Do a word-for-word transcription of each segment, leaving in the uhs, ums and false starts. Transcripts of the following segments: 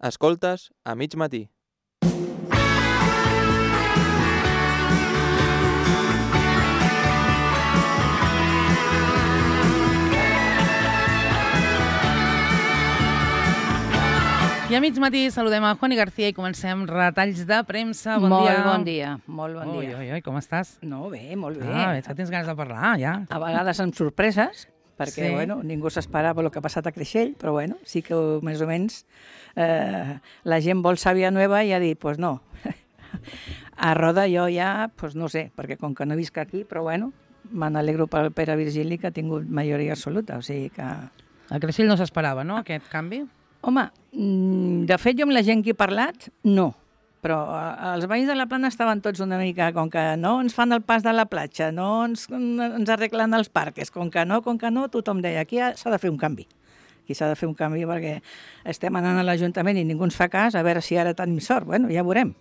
Escoltes a mig matí. I a mig matí saludem a Juani García i comencem retalls de premsa. Bon molt dia. bon dia, molt bon ui, dia. Ui, ui, com estàs? No, bé, molt bé. Ah, veig que tens ganes de parlar, ja. A vegades amb sorpreses, perquè Sí. bueno, ningú s'esperava el que ha passat a Creixell, però bueno, sí que més o menys eh, la gent vol sàvia nova i ha dit, pues no. A Roda jo ja, pues no sé, perquè com que no visc aquí, però bueno, me n'alegro pel Pere Virgili que ha tingut majoria absoluta, o sigui que... A Creixell no s'esperava, no, aquest canvi? Home, mm, de fet jo amb la gent que he parlat, no. Però eh, els veïns de la Plana estaven tots una mica, com que no ens fan el pas de la platja, no ens, ens arreglen els parques, com que no, com que no, tothom deia, aquí s'ha de fer un canvi. Aquí s'ha de fer un canvi perquè estem anant a l'Ajuntament i ningú ens fa cas, a veure si ara tenim sort. Bueno, ja veurem,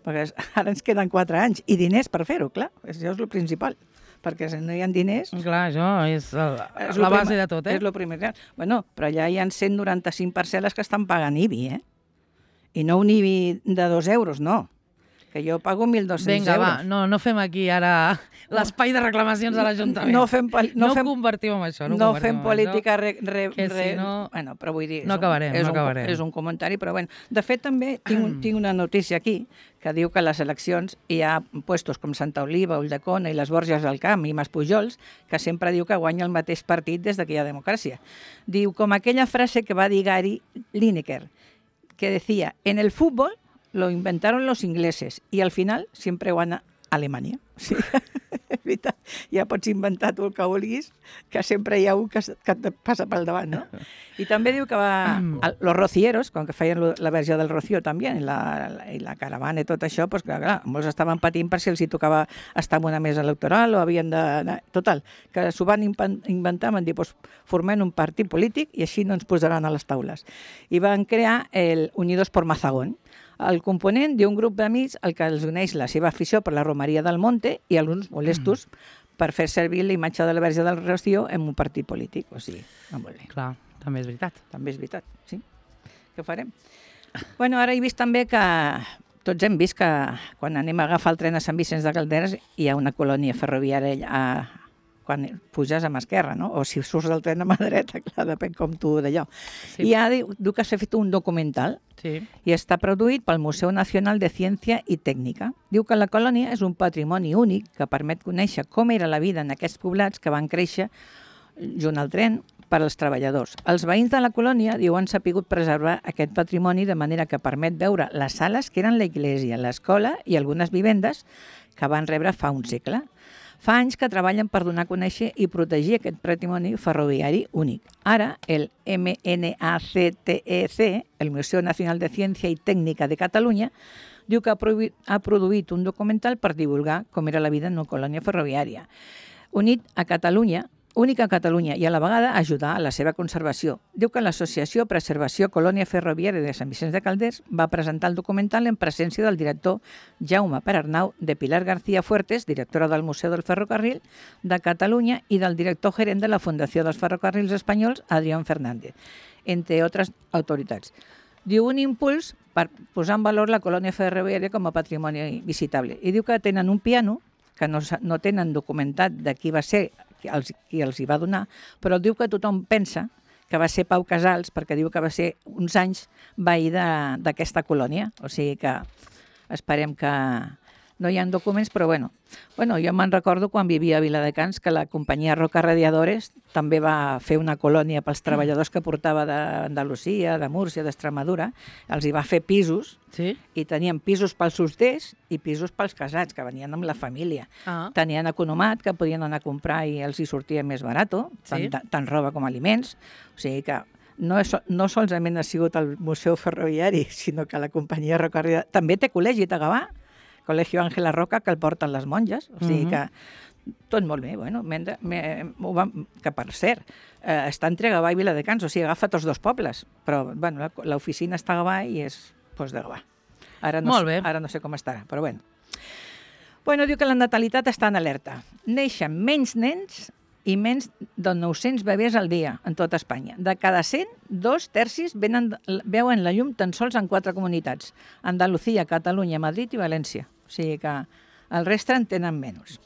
perquè ara ens queden quatre anys i diners per fer-ho, clar, això és el principal. Perquè si no hi ha diners... Clar, això és, el, és la base primer, de tot, eh? És el primer. Bueno, però ja hi ha cent noranta-cinc parcel·les que estan pagant I B I, eh? I no un I B I de dos euros, no. Que jo pago mil dos-cents Vinga, euros. va, no, no fem aquí ara l'espai de reclamacions a l'Ajuntament. No fem... No, no fem, convertim en això. No, no fem fem política... Re, re, que re, si no... Bueno, però vull dir... No acabarem, és no un, acabarem. És un comentari, però bueno. De fet, també tinc, un, tinc una notícia aquí que diu que a les eleccions hi ha puestos com Santa Oliva, Ulldecona i les Borges del Camp i Mas Pujols, que sempre diu que guanya el mateix partit des que hi ha democràcia. Diu, com aquella frase que va dir Gary Lineker, que decía, en el fútbol lo inventaron los ingleses y al final siempre gana Alemanya. Sí, és veritat. Ja pots inventar tu el que vulguis, que sempre hi ha un que, que et passa pel davant, no? I també diu que va... El, los rocieros, quan que feien la versió del Rocío també, i la, la, i la caravana i tot això, doncs clar, clar, molts estaven patint per si els hi tocava estar en una mesa electoral o havien de... Total, que s'ho van inventar, van dir, doncs formem un partit polític i així no ens posaran a les taules. I van crear el Unidos por Mazagón, el component d'un grup d'amics al que els uneix la seva afició per la romeria del Monte i alguns molestos mm. per fer servir la imatge de la Verge del Rocío en un partit polític. O sigui, no molt bé. Clar, també és veritat. També és veritat, sí. Què farem? Bueno, ara he vist també que tots hem vist que quan anem a agafar el tren a Sant Vicenç de Calderes hi ha una colònia ferroviària a quan puges a mà esquerra, no? O si surts del tren a mà dreta, clar, depèn com tu d'allò. Sí. I ja diu, diu que s'ha fet un documental sí. i està produït pel Museu Nacional de Ciència i Tècnica. Diu que la colònia és un patrimoni únic que permet conèixer com era la vida en aquests poblats que van créixer junt al tren per als treballadors. Els veïns de la colònia, diu, han sapigut preservar aquest patrimoni de manera que permet veure les sales que eren l'església, l'escola i algunes vivendes que van rebre fa un segle. Fa anys que treballen per donar a conèixer i protegir aquest patrimoni ferroviari únic. Ara, el M N A C T E C, el Museu Nacional de Ciència i Tècnica de Catalunya, diu que ha produït un documental per divulgar com era la vida en una colònia ferroviària. Unit a Catalunya, única a Catalunya i a la vegada ajudar a la seva conservació. Diu que l'Associació Preservació Colònia Ferroviària de Sant Vicenç de Calders va presentar el documental en presència del director Jaume Perarnau, de Pilar García Fuertes, directora del Museu del Ferrocarril de Catalunya, i del director gerent de la Fundació dels Ferrocarrils Espanyols, Adrián Fernández, entre altres autoritats. Diu un impuls per posar en valor la colònia ferroviària com a patrimoni visitable. I diu que tenen un piano, que no, no tenen documentat de qui va ser els, qui els hi va donar, però diu que tothom pensa que va ser Pau Casals, perquè diu que va ser uns anys veí d'aquesta colònia. O sigui que esperem que no hi ha documents, però bueno. Bueno, jo me'n recordo quan vivia a Viladecans que la companyia Roca Radiadores també va fer una colònia pels treballadors que portava d'Andalusia, de Múrcia, d'Extremadura. Els hi va fer pisos sí? i tenien pisos pels solters i pisos pels casats, que venien amb la família. Ah. Tenien economat, que podien anar a comprar i els hi sortia més barat, sí? tant, tant roba com aliments. O sigui que no, és, no solament ha sigut el Museu Ferroviari, sinó que la companyia Roca Radiadores també té col·legi a Gavà, Col·legio Ángela Roca, que el porten les monges, o sigui que tot molt bé, bueno, me, me, que per cert, eh, està entre Gavà i Viladecans, o sigui, agafa tots dos pobles, però bueno, l'oficina està a Gavà i és pues, de Gavà. Ara no, molt bé. Ara no sé com estarà, però bueno. Bueno, diu que la natalitat està en alerta. Neixen menys nens i menys de nou-cents bebès al dia en tota Espanya. De cada cent, dos tercis venen, veuen la llum tan sols en quatre comunitats: Andalucía, Catalunya, Madrid i València. O sigui que el reste en tenen menys.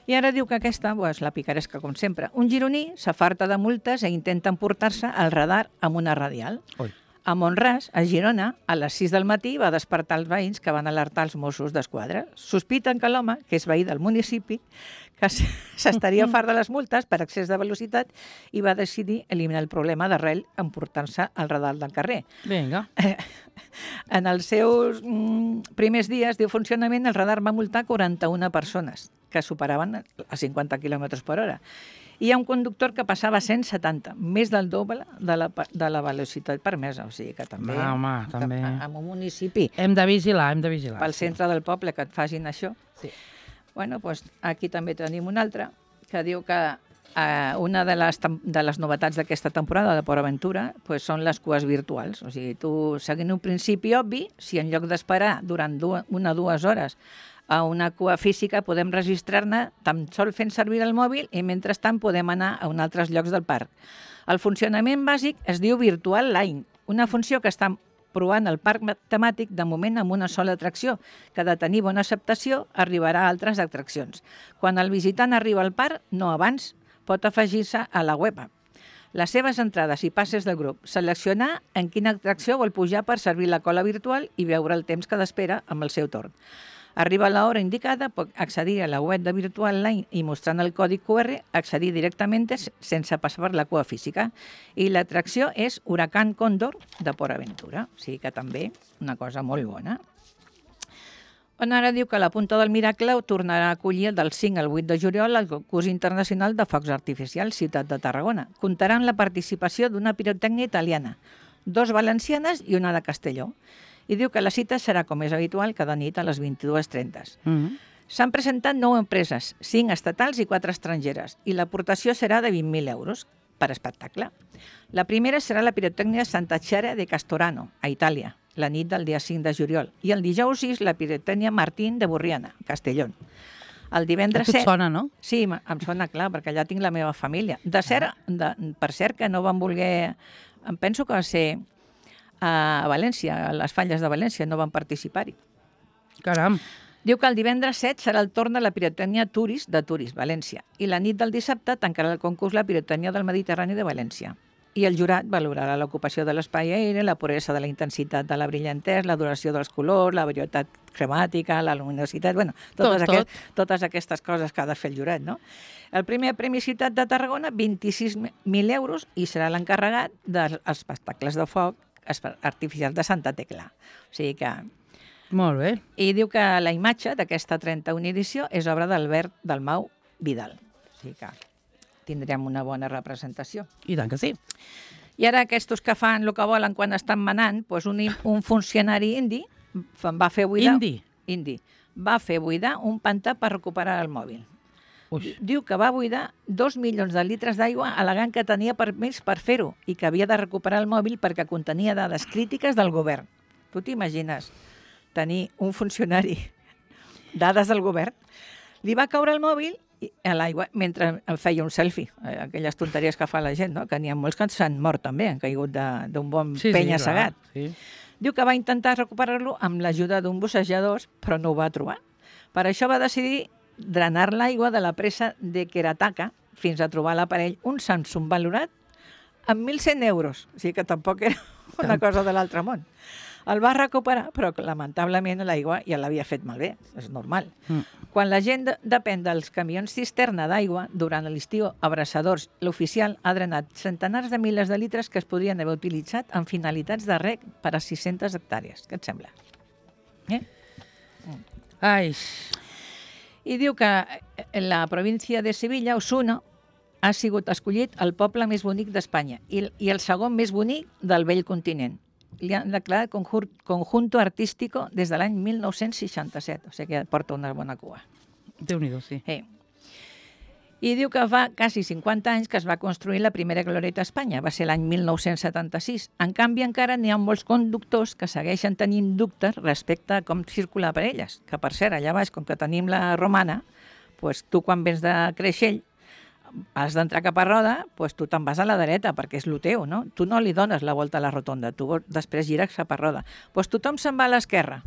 I ara diu que aquesta, pues, la picaresca com sempre. Un gironí s'afarta de multes i intenta emportar-se el radar amb una radial. Oi. A Montràs, a Girona, a les sis del matí va despertar els veïns que van alertar els Mossos d'Esquadra. Sospiten que l'home, que és veí del municipi, que s'estaria fart de les multes per excés de velocitat i va decidir eliminar el problema d'arrel emportant-se el radar del carrer. Vinga. En els seus mm, primers dies de funcionament, el radar va multar quaranta-una persones que superaven a cinquanta quilòmetres per hora. I hi ha un conductor que passava cent setanta, més del doble de la, de la velocitat permesa. O sigui que també, Va, home, també. en un municipi, Hem de vigilar, hem de vigilar. pel centre del poble, que et facin això. Sí. Bueno, doncs aquí també tenim una altra que diu que eh, una de les, de les novetats d'aquesta temporada de Port Aventura pues, són les cues virtuals. O sigui, tu, seguint un principi obvi, si en lloc d'esperar durant dues, una o dues hores a una cua física podem registrar-ne tan sol fent servir el mòbil i mentrestant podem anar a un altres llocs del parc. El funcionament bàsic es diu Virtual Line, una funció que està provant el parc temàtic de moment amb una sola atracció, que de tenir bona acceptació arribarà a altres atraccions. Quan el visitant arriba al parc, no abans, pot afegir-se a la web. Les seves entrades i passes del grup, seleccionar en quina atracció vol pujar per servir la cola virtual i veure el temps que d'espera amb el seu torn. Arriba a l'hora indicada, pot accedir a la web de Virtual Line i mostrant el codi cu erre, accedir directament sense passar per la cua física. I l'atracció és Huracán Cóndor de Port Aventura. O sigui que també una cosa molt bona. On ara diu que la Punta del Miracle tornarà a acollir del cinc al vuit de juliol el concurs internacional de focs artificials Ciutat de Tarragona. Comptarà amb la participació d'una pirotècnia italiana, dos valencianes i una de Castelló. I diu que la cita serà, com és habitual, cada nit a les vint-i-dues trenta. Mm -hmm. S'han presentat nou empreses, cinc estatals i quatre estrangeres, i l'aportació serà de vint mil euros per espectacle. La primera serà la pirotècnia Santa Chiara de Castorano, a Itàlia, la nit del dia cinc de juliol, i el dijous sis la pirotècnia Martín de Burriana, a Castellón. El divendres A tu et set... sona, no? Sí, em sona clar, perquè allà tinc la meva família. De cert, de, per cert, que no van voler... Em penso que va ser a València, a les falles de València, no van participar-hi. Caram. Diu que el divendres set serà el torn de la pirotècnia Turis de Turis, València, i la nit del dissabte tancarà el concurs la pirotècnia del Mediterrani de València. I el jurat valorarà l'ocupació de l'espai aeri, la puresa de la intensitat de la brillantesa, la duració dels colors, la varietat cremàtica, la luminositat, bueno, totes, Tot, aquest, tot. totes aquestes coses que ha de fer el jurat, no? El primer Premi Ciutat de Tarragona, vint-i-sis mil euros, i serà l'encarregat dels espectacles de foc artificials de Santa Tecla. O sigui que... Molt bé. I diu que la imatge d'aquesta trenta-una edició és obra d'Albert Dalmau Vidal. O sigui que tindrem una bona representació. I tant que sí. I ara aquests que fan el que volen quan estan manant, doncs un, un funcionari indi va fer buidar... Indi? Indi. Va fer buidar un pantà per recuperar el mòbil. Ui. Diu que va buidar dos milions de litres d'aigua al·legant que tenia permís per fer-ho i que havia de recuperar el mòbil perquè contenia dades crítiques del govern. Tu t'imagines tenir un funcionari dades del govern? Li va caure el mòbil a l'aigua mentre feia un selfie, aquelles tonteries que fa la gent, no? Que n'hi ha molts que s'han mort també, han caigut d'un bon Sí, sí, penya-segat. clar, sí. Diu que va intentar recuperar-lo amb l'ajuda d'un bussejador, però no ho va trobar. Per això va decidir drenar l'aigua de la presa de Kerataka fins a trobar l'aparell, un Samsung valorat amb mil cent euros. O sigui que tampoc era una cosa de l'altre món. El va recuperar, però lamentablement l'aigua ja l'havia fet malbé, és normal. Mm. Quan la gent de depèn dels camions cisterna d'aigua, durant l'estiu, abraçadors, l'oficial ha drenat centenars de milers de litres que es podrien haver utilitzat en finalitats de reg per a sis-centes hectàrees. Què et sembla? Eh? Ai, I diu que en la província de Sevilla, Osuna, ha sigut escollit el poble més bonic d'Espanya i, i el segon més bonic del vell continent. Li han declarat conjur, conjunto artístico des de l'any mil nou-cents seixanta-set, o sigui que porta una bona cua. Déu-n'hi-do, sí. Eh. I diu que fa quasi cinquanta anys que es va construir la primera glorieta a Espanya, va ser l'any mil nou-cents setanta-sis. En canvi, encara n'hi ha molts conductors que segueixen tenint dubtes respecte a com circular per elles, que per cert, allà baix, com que tenim la romana, doncs tu quan vens de Creixell, has d'entrar cap a roda, doncs tu te'n vas a la dreta, perquè és el teu, no? Tu no li dones la volta a la rotonda, tu després gires cap a roda. Doncs tothom se'n va a l'esquerra.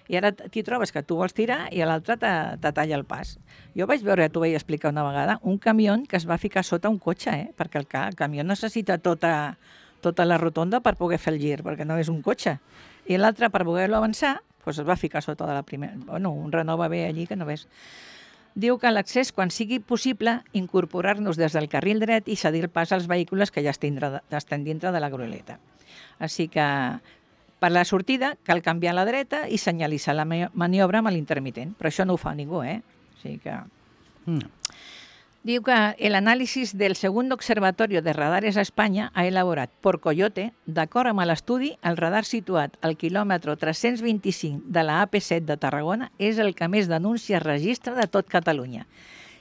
I ara t'hi trobes que tu vols tirar i l'altre te, te talla el pas. Jo vaig veure, t'ho vaig explicar una vegada, un camió que es va ficar sota un cotxe, eh? Perquè el, el camió necessita tota, tota la rotonda per poder fer el gir, perquè no és un cotxe. I l'altre, per poder-lo avançar, doncs es va ficar sota de la primera... Bueno, un Renault va bé allí que no ves. Diu que a l'accés, quan sigui possible, incorporar-nos des del carril dret i cedir el pas als vehicles que ja estan dintre de la groleta. Així que per la sortida cal canviar a la dreta i senyalitzar la maniobra amb l'intermitent, però això no ho fa ningú, eh? O sigui que... Mm. Diu que el análisis del segundo observatorio de radares a Espanya ha elaborat por Coyote, d'acord amb l'estudi, el radar situat al quilòmetre tres-cents vint-i-cinc de la A P set de Tarragona és el que més denúncies registra de tot Catalunya.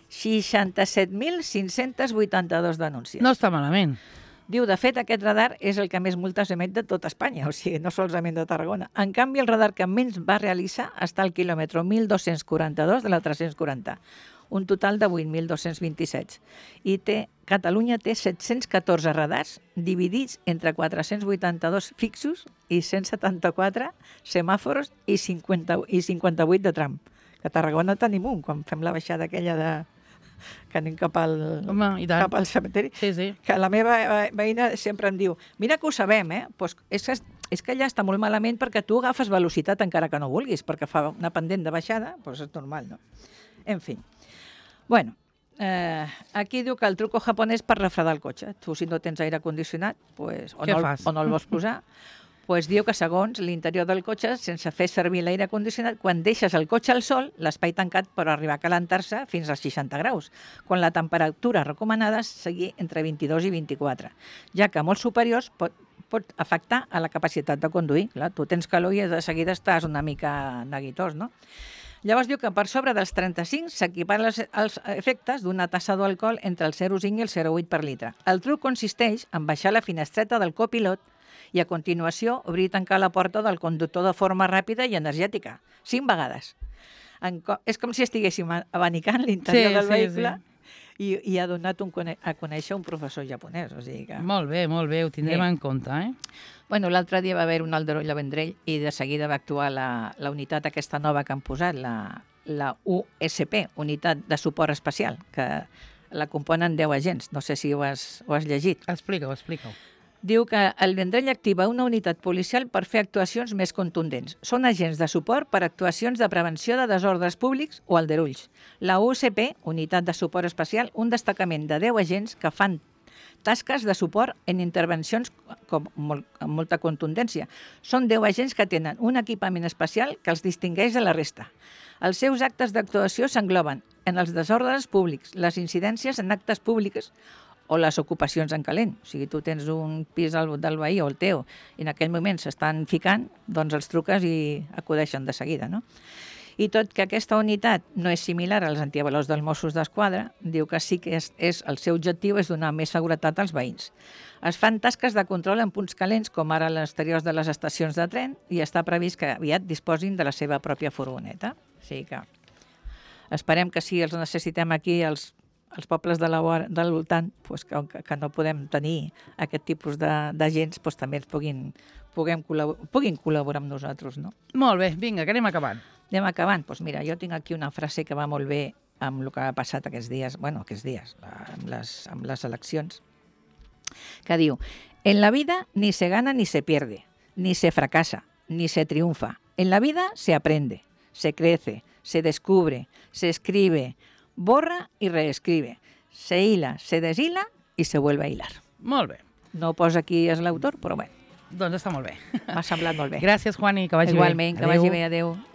seixanta-set mil cinc-cents vuitanta-dos denúncies. No està malament. Diu, de fet, aquest radar és el que més multes emet de tot Espanya, o sigui, no solament de Tarragona. En canvi, el radar que menys va realitzar està al quilòmetre mil dos-cents quaranta-dos de la tres-cents quaranta, un total de vuit mil dos-cents vint-i-set. I té, Catalunya té set-cents catorze radars dividits entre quatre-cents vuitanta-dos fixos i cent setanta-quatre semàfors i, cinquanta, i cinquanta-vuit de tram. Que a Tarragona tenim un, quan fem la baixada aquella de... que anem cap al, Home, i tant. cap al cementeri, Sí, sí. que la meva veïna sempre em diu, mira que ho sabem, eh? Pues és, que, és que allà està molt malament perquè tu agafes velocitat encara que no vulguis, perquè fa una pendent de baixada, doncs és normal, no? En fi. Bueno, eh, aquí diu que el truco japonès per refredar el cotxe. Tu, si no tens aire condicionat, pues, o, Què no, fas? o no el vols posar, pues diu que segons l'interior del cotxe, sense fer servir l'aire condicionat, quan deixes el cotxe al sol, l'espai tancat pot arribar a calentar-se fins als seixanta graus, quan la temperatura recomanada sigui entre vint-i-dos i vint-i-quatre, ja que molts superiors pot, pot afectar a la capacitat de conduir. Clar, tu tens calor i de seguida estàs una mica neguitós, no? Llavors diu que per sobre dels trenta-cinc s'equiparen els, els efectes d'una tassa d'alcohol entre el zero coma cinc i el zero coma vuit per litre. El truc consisteix en baixar la finestreta del copilot i a continuació obrir i tancar la porta del conductor de forma ràpida i energètica, cinc vegades. En, és com si estiguéssim abanicant l'interior Sí, del sí, vehicle sí. i, i ha donat un, a conèixer un professor japonès. O sigui que... Molt bé, molt bé, ho tindrem Bé. en compte, eh? Bueno, l'altre dia va haver un aldaroll a Vendrell i de seguida va actuar la, la unitat aquesta nova que han posat, la, la U S P, Unitat de Suport Especial, que la componen deu agents. No sé si ho has, ho has llegit. Explica-ho, explica-ho. Diu que el Vendrell activa una unitat policial per fer actuacions més contundents. Són agents de suport per actuacions de prevenció de desordres públics o aldarulls. La U S P, Unitat de Suport Especial, un destacament de deu agents que fan tasques de suport en intervencions com, molt, amb molta contundència. Són deu agents que tenen un equipament especial que els distingeix de la resta. Els seus actes d'actuació s'engloben en els desordres públics, les incidències en actes públics o les ocupacions en calent. O sigui, tu tens un pis del, del veí o el teu i en aquell moment s'estan ficant, doncs els truques i acudeixen de seguida, no? I tot que aquesta unitat no és similar als antiavalots dels Mossos d'Esquadra, diu que sí que és, és, el seu objectiu és donar més seguretat als veïns. Es fan tasques de control en punts calents, com ara a l'exterior de les estacions de tren, i està previst que aviat disposin de la seva pròpia furgoneta. O sigui que esperem que si els necessitem aquí, els, els pobles de la, del voltant, pues que, que no podem tenir aquest tipus d'agents, pues també ens puguin, puguem col·labor, puguin col·laborar amb nosaltres, no? Molt bé, vinga, que anem acabant. Anem acabant. Doncs mira, jo tinc aquí una frase que va molt bé amb el que ha passat aquests dies, bueno, aquests dies, amb les, amb les eleccions, que diu: en la vida ni se gana ni se pierde, ni se fracasa, ni se triunfa. En la vida se aprende, se crece, se descubre, se escribe, borra y reescribe, se hila, se deshila y se vuelve a hilar. Molt bé. No posa qui és l'autor, però bé, Doncs està molt bé. m'ha semblat molt bé. Gràcies, Juani, que vagi Igualment, bé. que vagi bé, adeu.